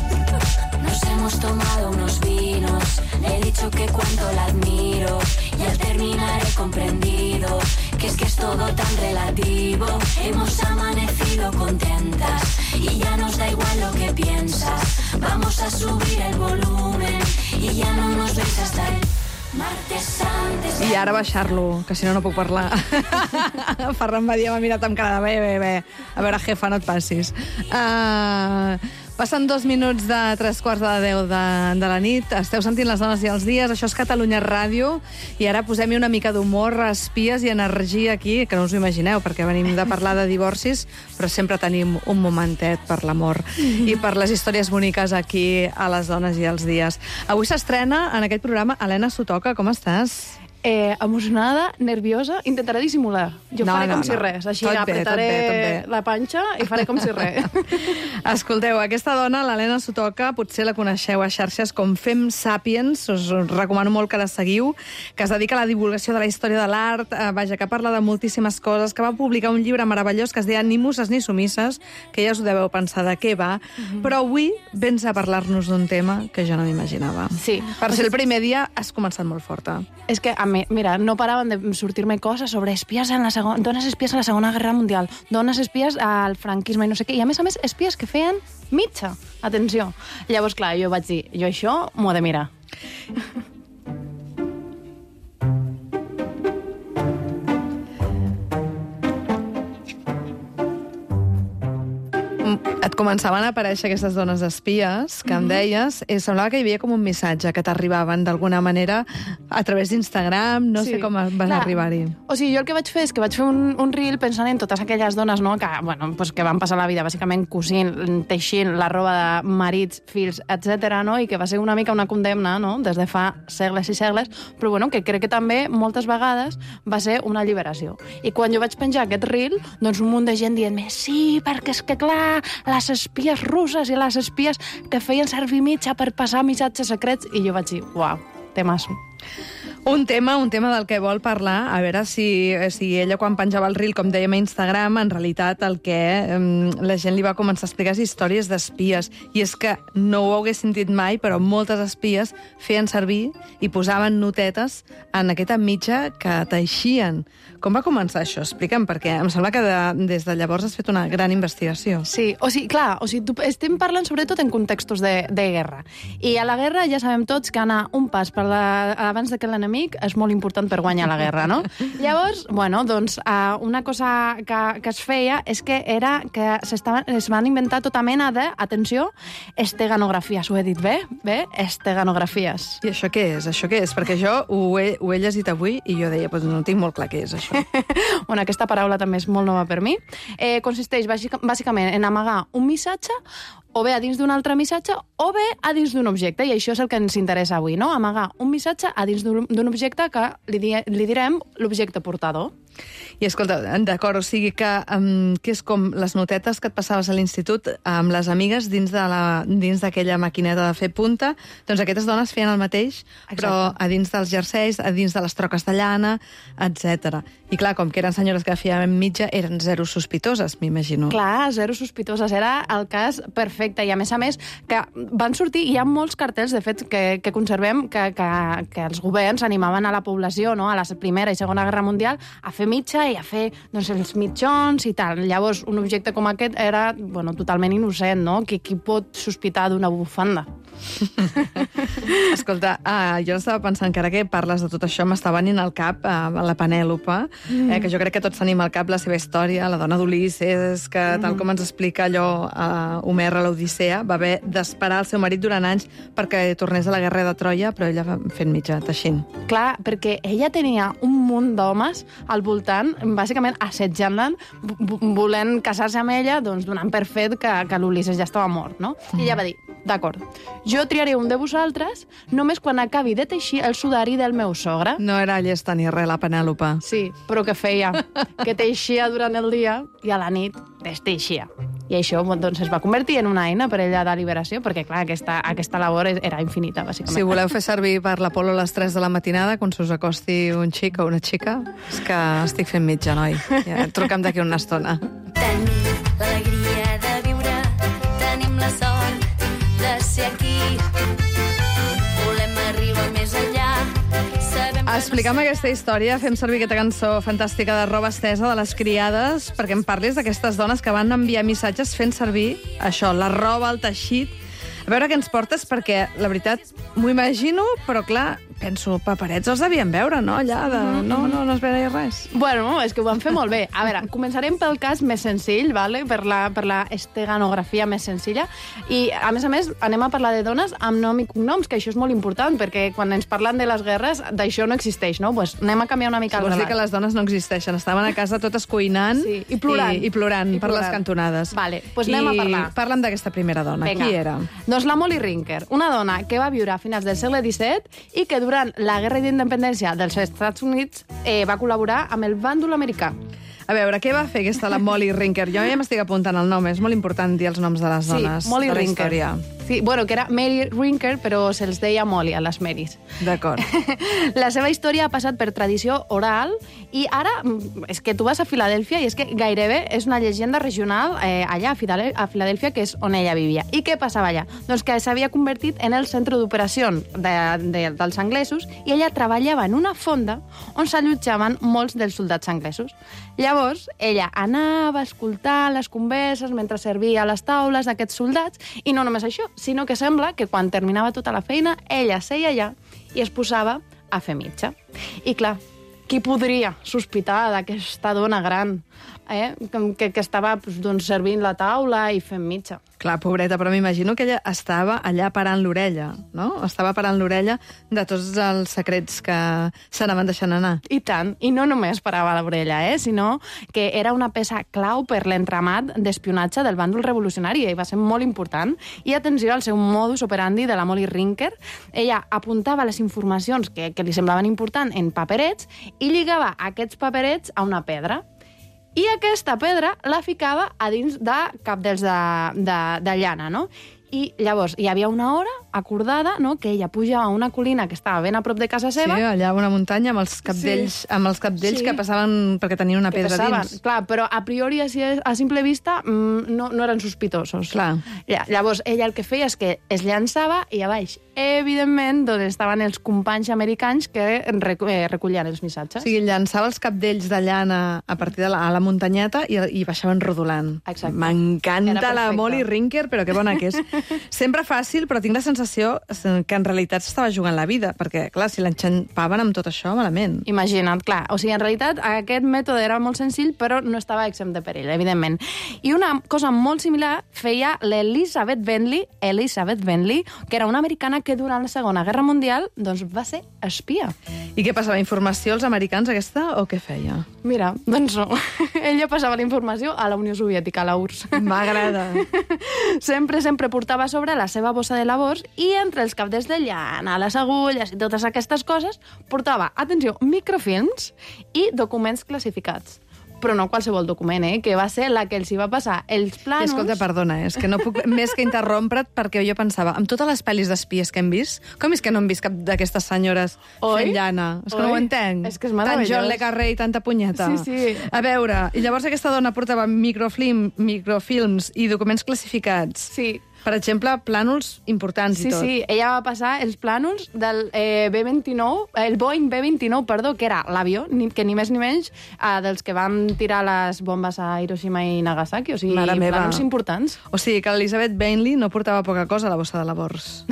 [SPEAKER 7] Nos hemos tomado unos vinos, le he dicho que cuánto la admiro y al terminar he comprendido que es todo tan relativo. Hemos amanecido contentas y ya nos da igual lo que piensas. Vamos a subir el volumen y ya no nos veis hasta el martes antes.
[SPEAKER 1] I ara baixar-lo, que si no, no puc parlar. Ferran Badia m'ha mirat amb cara de bé. A veure, jefa, no et passis. Passen 2 minuts de 3:15 de la nit. Esteu sentint Les dones i els dies. Això és Catalunya Ràdio. I ara posem-hi una mica d'humor, espies i energia aquí, que no us ho imagineu, perquè venim de parlar de divorcis, però sempre tenim un momentet per l'amor i per les històries boniques aquí a Les dones i els dies. Avui s'estrena en aquest programa Helena Sotoca. Com estàs?
[SPEAKER 8] Emocionada, nerviosa, intentaré dissimular. Jo faré com si res, així apretaré la panxa i faré com si res.
[SPEAKER 1] Escolteu, aquesta dona, l'Helena Sotoca, potser la coneixeu a xarxes com Fem Sapiens, us recomano molt que la seguiu, que es dedica a la divulgació de la història de l'art, que parla de moltíssimes coses, que va publicar un llibre meravellós que es deia Ni musses ni sumisses, que ja us ho deveu pensar de què va, però avui vens a parlar-nos d'un tema que jo no m'imaginava.
[SPEAKER 8] Sí.
[SPEAKER 1] Per ser el primer dia has començat molt forta.
[SPEAKER 8] És que, mira, no paraven de sortir-me coses sobre espies dones espies a la Segona Guerra Mundial, dones espies al franquisme i no sé què, i a més, espies que feien mitja. Atenció. Llavors, clar, jo vaig dir, jo això m'ho he de mirar.
[SPEAKER 1] Et començaven a aparèixer aquestes dones espies que em deies, i semblava que hi havia com un missatge que t'arribaven d'alguna manera a través d'Instagram, no sé com vas arribar-hi.
[SPEAKER 8] O sigui, jo el que vaig fer és que vaig fer un reel pensant en totes aquelles dones, no?, que van passar la vida bàsicament cosint, teixint la roba de marits, fills, etc., no?, i que va ser una mica una condemna, no?, des de fa segles i segles, però bueno, que crec que també moltes vegades va ser una alliberació. I quan jo vaig penjar aquest reel, doncs un munt de gent dient-me sí, perquè és que clar, la les espies russes i les espies que feien servir mitja per passar missatges secrets, i jo vaig dir, uau, temasso.
[SPEAKER 1] Un tema del que vol parlar, a veure si ella quan penjava el reel, com dèiem a Instagram, en realitat el que la gent li va començar a explicar és històries d'espies. I és que no ho hagués sentit mai, però moltes espies feien servir i posaven notetes en aquesta mitja que teixien. Com va començar això? Explica'm, perquè em sembla que des de llavors has fet una gran investigació.
[SPEAKER 8] Sí, estem parlant sobretot en contextos de guerra. I a la guerra ja sabem tots que anar un pas abans que l'enemic és molt important per guanyar la guerra, no? Llavors, una cosa que es feia és que era que es van inventar tota mena de, atenció, esteganografies. Ho he dit bé? Bé? Esteganografies.
[SPEAKER 1] I això què és? Perquè jo ho he llegit avui i jo deia, no tinc molt clar què és això.
[SPEAKER 8] Bueno, aquesta paraula també és molt nova per mi. Consisteix bàsicament en amagar un missatge o bé a dins d'un altre missatge o bé a dins d'un objecte, i això és el que ens interessa avui, no? Amagar un missatge a dins d'un objecte que li direm l'objecte portador.
[SPEAKER 1] I escolta, d'acord, o sigui que és com les notetes que et passaves a l'institut amb les amigues dins d'aquella maquineta de fer punta, doncs aquestes dones feien el mateix, però a dins dels jerseis, a dins de les troques de llana, etc. I clar, com que eren senyores que feien mitja, eren zero sospitoses, m'imagino.
[SPEAKER 8] Clar, zero sospitoses, era el cas perfecte, i a més, que van sortir, hi ha molts cartells, de fet, que conservem, que els governs animaven a la població, no?, a la Primera i Segona Guerra Mundial, a fer mitja i a fer els mitjons i tal. Llavors, un objecte com aquest era totalment innocent, no? Qui pot sospitar d'una bufanda?
[SPEAKER 1] Escolta, jo estava pensant que ara que parles de tot això m'està venint al cap la Penèlope, que jo crec que tots tenim al cap la seva història, la dona d'Ulisses, que tal com ens explica allò Homer a l'Odissea, va haver d'esperar el seu marit durant anys perquè tornés a la guerra de Troia, però ella va fent mitja, teixint.
[SPEAKER 8] Clar, perquè ella tenia un munt d'homes al voltant, bàsicament assetjant-la, volent casar-se amb ella, donant per fet que l'Ulisses ja estava mort, no? I ella va dir, d'acord, jo triaré un de vosaltres només quan acabi de teixir el sudari del meu sogre.
[SPEAKER 1] No era llesta ni res, la Penèlope.
[SPEAKER 8] Sí, però què feia? Que teixia durant el dia i a la nit desteixia. I això es va convertir en una eina per ella de liberació, perquè, clar, aquesta labor era infinita, bàsicament.
[SPEAKER 1] Si voleu fer servir per l'Apolo a les 3 de la matinada, quan se us acosti un xic o una xica, és que estic fent mitja, noi. Ja, truca'm d'aquí una estona.
[SPEAKER 7] Tenim l'alegria de viure, tenim la sort de ser aquí. Volem arribar més enllà.
[SPEAKER 1] Explica'm aquesta història, fem servir aquesta cançó fantàstica de Roba Estesa de les Criades perquè em parlis d'aquestes dones que van enviar missatges fent servir això, la roba, el teixit. A veure què ens portes, perquè la veritat m'ho imagino, però clar, penso, paperets els devien veure, no? Allà de... No es veia res.
[SPEAKER 8] Bueno, és que ho van fer molt bé. A veure, començarem pel cas més senzill, vale? per la esteganografia més senzilla, i a més, anem a parlar de dones amb nom i cognoms, que això és molt important, perquè quan ens parlen de les guerres, d'això no existeix, no? Pues anem a canviar una mica el
[SPEAKER 1] relat. Vols dir
[SPEAKER 8] relat.
[SPEAKER 1] que les dones no existeixen, estaven a casa totes cuinant
[SPEAKER 8] i plorant.
[SPEAKER 1] Per les cantonades.
[SPEAKER 8] Vale, doncs anem a parlar.
[SPEAKER 1] Parla'm d'aquesta primera dona.
[SPEAKER 8] Venga.
[SPEAKER 1] Qui era?
[SPEAKER 8] Doncs la Molly Rinker, una dona que va viure a finals del segle XVII i que durant la Guerra d'Independència dels Estats Units va col·laborar amb el bàndol americà.
[SPEAKER 1] A veure, què va fer aquesta la Molly Rinker? Jo ja m'estic apuntant el nom, és molt important dir els noms de les dones
[SPEAKER 8] Molly
[SPEAKER 1] de la
[SPEAKER 8] Rinker.
[SPEAKER 1] història.
[SPEAKER 8] Sí, bueno, que era Mary Rinker, però se'ls deia Molly a les Marys.
[SPEAKER 1] D'acord.
[SPEAKER 8] La seva història ha passat per tradició oral i ara és que tu vas a Filadèlfia i és que gairebé és una llegenda regional allà a Filadèlfia, que és on ella vivia. I què passava allà? Doncs que s'havia convertit en el centre d'operacions dels anglesos i ella treballava en una fonda on s'allotjaven molts dels soldats anglesos. Llavors, ella anava a escoltar les converses mentre servia a les taules d'aquests soldats i no només això, sinó que sembla que quan terminava tota la feina, ella seia allà i es posava a fer mitja. I clar, qui podria sospitar d'aquesta dona gran que estava servint la taula i fent mitja?
[SPEAKER 1] Clar, pobreta, però m'imagino que ella estava allà parant l'orella, no? Estava parant l'orella de tots els secrets que s'anaven deixant anar.
[SPEAKER 8] I tant, i no només parava l'orella, sinó que era una peça clau per l'entramat d'espionatge del bàndol revolucionari, i va ser molt important. I atenció al seu modus operandi de la Molly Rinker. Ella apuntava les informacions que li semblaven importants en paperets i lligava aquests paperets a una pedra. I aquesta pedra la ficava a dins de cabdells de llana, no? I llavors hi havia una hora acordada, no?, que ella pujava a una colina que estava ben a prop de casa seva.
[SPEAKER 1] Sí, allà a una muntanya amb els cabdells,
[SPEAKER 8] Sí.
[SPEAKER 1] que passaven perquè tenien una pedra dins.
[SPEAKER 8] Clar, però a priori, a simple vista, no eren sospitosos.
[SPEAKER 1] Clar.
[SPEAKER 8] Llavors, ella el que feia és que es llançava i a baix, evidentment, d'on estaven els companys americans que recollien els missatges.
[SPEAKER 1] O sigui, llançava els cabdells de llana a partir de la muntanyeta i baixaven rodolant.
[SPEAKER 8] Exacte.
[SPEAKER 1] M'encanta la Molly Rinker, però que bona que és. Sempre fàcil, però tinc la sensació que en realitat s'estava jugant la vida, perquè, clar, si l'enxampaven amb tot això, malament.
[SPEAKER 8] Imagina't, clar. O sigui, en realitat, aquest mètode era molt senzill, però no estava exempt de perill, evidentment. I una cosa molt similar feia l'Elizabeth Bentley, que era una americana que durant la Segona Guerra Mundial doncs, va ser espia.
[SPEAKER 1] I què passava? Informació als americans, aquesta, o què feia?
[SPEAKER 8] Mira, doncs no. Ella passava la informació a la Unió Soviètica, a la URSS.
[SPEAKER 1] M'agrada.
[SPEAKER 8] Sempre portava a sobre la seva bossa de labors i entre els cabdells de llana, les agulles i totes aquestes coses portava, atenció, microfilms i documents classificats. Però no qualsevol document, que va ser la que els hi va passar els plànols...
[SPEAKER 1] Escolta, perdona, és que no puc més que interrompre't perquè jo pensava, amb totes les pel·lis d'espies que hem vist, com és que no hem vist cap d'aquestes senyores fent llana? És que no ho entenc.
[SPEAKER 8] És que és meravellós.
[SPEAKER 1] Tant John le Carré i tanta punyeta.
[SPEAKER 8] Sí.
[SPEAKER 1] A veure, i llavors aquesta dona portava microfilms i documents classificats.
[SPEAKER 8] Sí.
[SPEAKER 1] Per exemple, plànols importants i tot.
[SPEAKER 8] Sí, ella va passar els plànols del B-29, el Boeing B-29, perdó, que era l'avió, que ni més ni menys dels que van tirar les bombes a Hiroshima i Nagasaki, o sigui, plànols importants.
[SPEAKER 1] O sigui, que l'Elizabeth Bentley no portava poca cosa a la bossa de labors.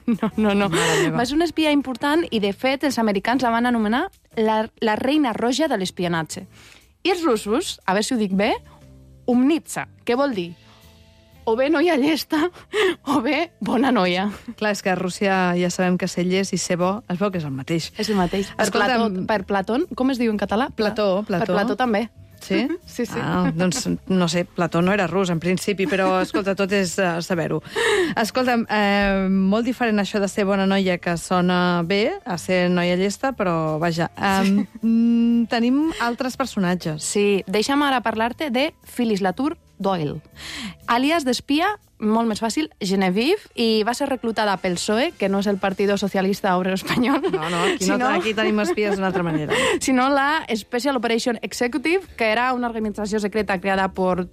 [SPEAKER 8] No. Va ser una espia important i, de fet, els americans la van anomenar la reina roja de l'espionatge. I els russos, a veure si ho dic bé, Umnitsa, què vol dir? O bé noia llesta, o bé bona noia.
[SPEAKER 1] Clar, és que a Rússia ja sabem que ser llest i ser bo es veu que és el mateix.
[SPEAKER 8] És el mateix. Per Plató, com es diu en català?
[SPEAKER 1] Plató.
[SPEAKER 8] Per Plató també.
[SPEAKER 1] Sí?
[SPEAKER 8] Sí.
[SPEAKER 1] Doncs, no sé, Plató no era rus, en principi, però, escolta, tot és saber-ho. Escolta, molt diferent això de ser bona noia, que sona bé, a ser noia llesta, però, vaja, tenim altres personatges.
[SPEAKER 8] Sí, deixa'm ara parlar-te de Phyllis Latour Doyle, àlies d'espia, molt més fàcil, Genevieve, i va ser reclutada pel PSOE, que no és el Partido Socialista Obrero Espanyol.
[SPEAKER 1] No, aquí tenim espies d'una altra manera.
[SPEAKER 8] Sinó la Special Operation Executive, que era una organització secreta creada per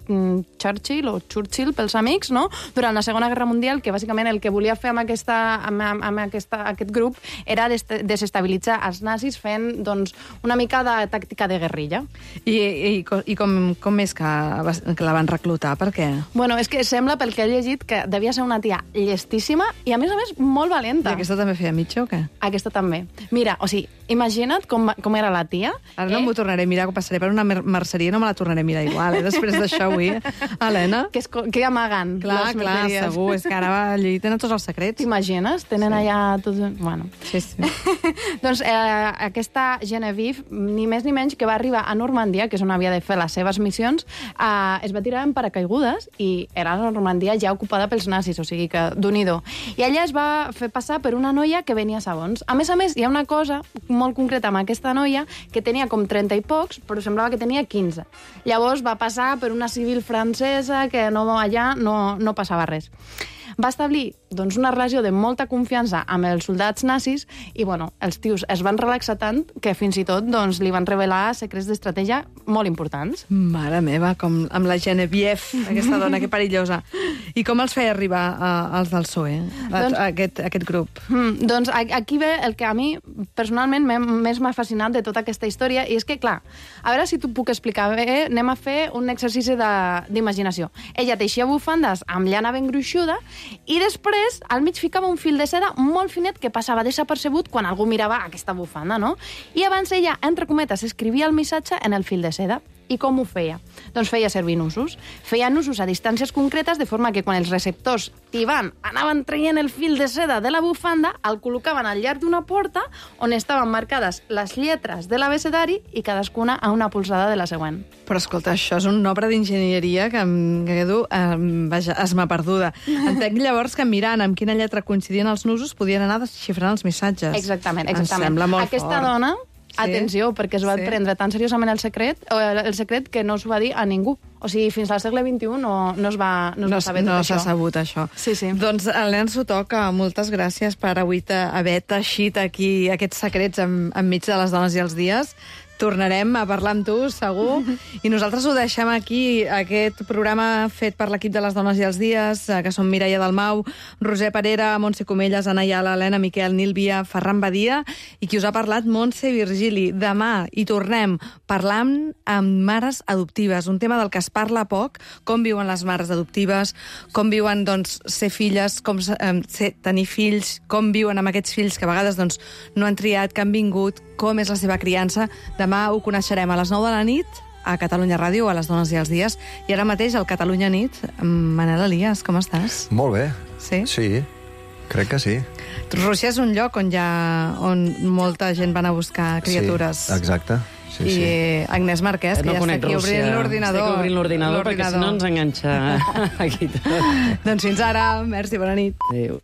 [SPEAKER 8] Churchill, pels amics, no?, durant la Segona Guerra Mundial, que bàsicament el que volia fer amb aquest grup era desestabilitzar els nazis fent, doncs, una mica de tàctica de guerrilla.
[SPEAKER 1] I com és que la van reclutar? Per què?
[SPEAKER 8] Bueno, és que sembla, pel que he llegit, que devia ser una tia llestíssima i, a més, molt valenta.
[SPEAKER 1] I aquesta també feia mitja o què?
[SPEAKER 8] Aquesta també. Mira, o sigui, imagina't com era la tia.
[SPEAKER 1] Ara no m'ho tornaré a mirar, que passaré per una merceria i no me la tornaré a mirar igual, després d'això avui. Helena?
[SPEAKER 8] Que amaguen
[SPEAKER 1] clar,
[SPEAKER 8] les merceries.
[SPEAKER 1] Segur, és que ara allí tenen tots els secrets.
[SPEAKER 8] T'imagines? Tenen allà tots... Bueno.
[SPEAKER 1] Sí.
[SPEAKER 8] Doncs aquesta Genevieve, ni més ni menys, que va arribar a Normandia, que és on havia de fer les seves missions, es va tirar en paracaigudes i era la Normandia ja ocupada pels nazis, o sigui que d'un-i-do. I ella es va fer passar per una noia que venia a segons. A més, hi ha una cosa molt concreta amb aquesta noia que tenia com 30 i pocs, però semblava que tenia 15. Llavors va passar per una civil francesa que allà no passava res. Va establir doncs, una relació de molta confiança amb els soldats nazis i bueno, els tios es van relaxar tant que fins i tot doncs, li van revelar secrets d'estratègia molt importants.
[SPEAKER 1] Mare meva, com amb la Genevieve, aquesta dona, que perillosa. I com els feia arribar als del PSOE, aquest grup?
[SPEAKER 8] Doncs aquí ve el que a mi personalment més m'ha fascinat de tota aquesta història i és que, clar, a veure si t'ho puc explicar bé, anem a fer un exercici d'imaginació. Ella teixia bufandes amb llana ben gruixuda i després al mig ficava un fil de seda molt finet que passava desapercebut quan algú mirava aquesta bufanda, no? I abans ella, entre cometes, escrivia el missatge en el fil de seda. I com ho feia? Doncs feia servir nusos. Feia nusos a distàncies concretes, de forma que quan els receptors tibant anaven traient el fil de seda de la bufanda, el col·locaven al llarg d'una porta on estaven marcades les lletres de l'abecedari i cadascuna a una polzada de la següent.
[SPEAKER 1] Però escolta, això és una obra d'enginyeria que em quedo esma perduda. Entenc llavors que mirant amb quina lletra coincidien els nusos podien anar desxifrant els missatges.
[SPEAKER 8] Exactament.
[SPEAKER 1] Em sembla molt
[SPEAKER 8] Aquesta
[SPEAKER 1] fort.
[SPEAKER 8] dona Atenció, perquè es va prendre tan seriosament el secret que no s'ho va dir a ningú. O sigui, fins al segle XXI no es va saber tot això.
[SPEAKER 1] No s'ha sabut això.
[SPEAKER 8] Sí.
[SPEAKER 1] Doncs, Helena Sotoca, moltes gràcies per avui haver teixit aquí aquests secrets enmig de les dones i els dies. Tornarem a parlar amb tu, segur. I nosaltres ho deixem aquí, aquest programa fet per l'equip de les Dones i els Dies, que són Mireia Dalmau, Roser Parera, Montse Comelles, Anna Ayala, Helena Miquel, Nil Via, Ferran Badia, i qui us ha parlat, Montse Virgili. Demà hi tornem parlant amb mares adoptives, un tema del que es parla poc, com viuen les mares adoptives, com viuen ser filles, com tenir fills, com viuen amb aquests fills que a vegades no han triat, que han vingut, com és la seva criança. Demà ho coneixerem a les 9 de la nit a Catalunya Ràdio, a les Dones i els Dies. I ara mateix, al Catalunya Nit, Manel Elias, com estàs?
[SPEAKER 9] Molt bé.
[SPEAKER 1] Sí?
[SPEAKER 9] Sí, crec que sí.
[SPEAKER 1] Rússia és un lloc on molta gent va anar a buscar criatures.
[SPEAKER 9] Sí, exacte. Sí,
[SPEAKER 1] I Agnès Marquès, que ja està aquí obrint l'ordinador.
[SPEAKER 10] Estic obrint l'ordinador perquè si no ens enganxa aquí tot.
[SPEAKER 1] Doncs fins ara, merci, bona nit.
[SPEAKER 10] Adéu.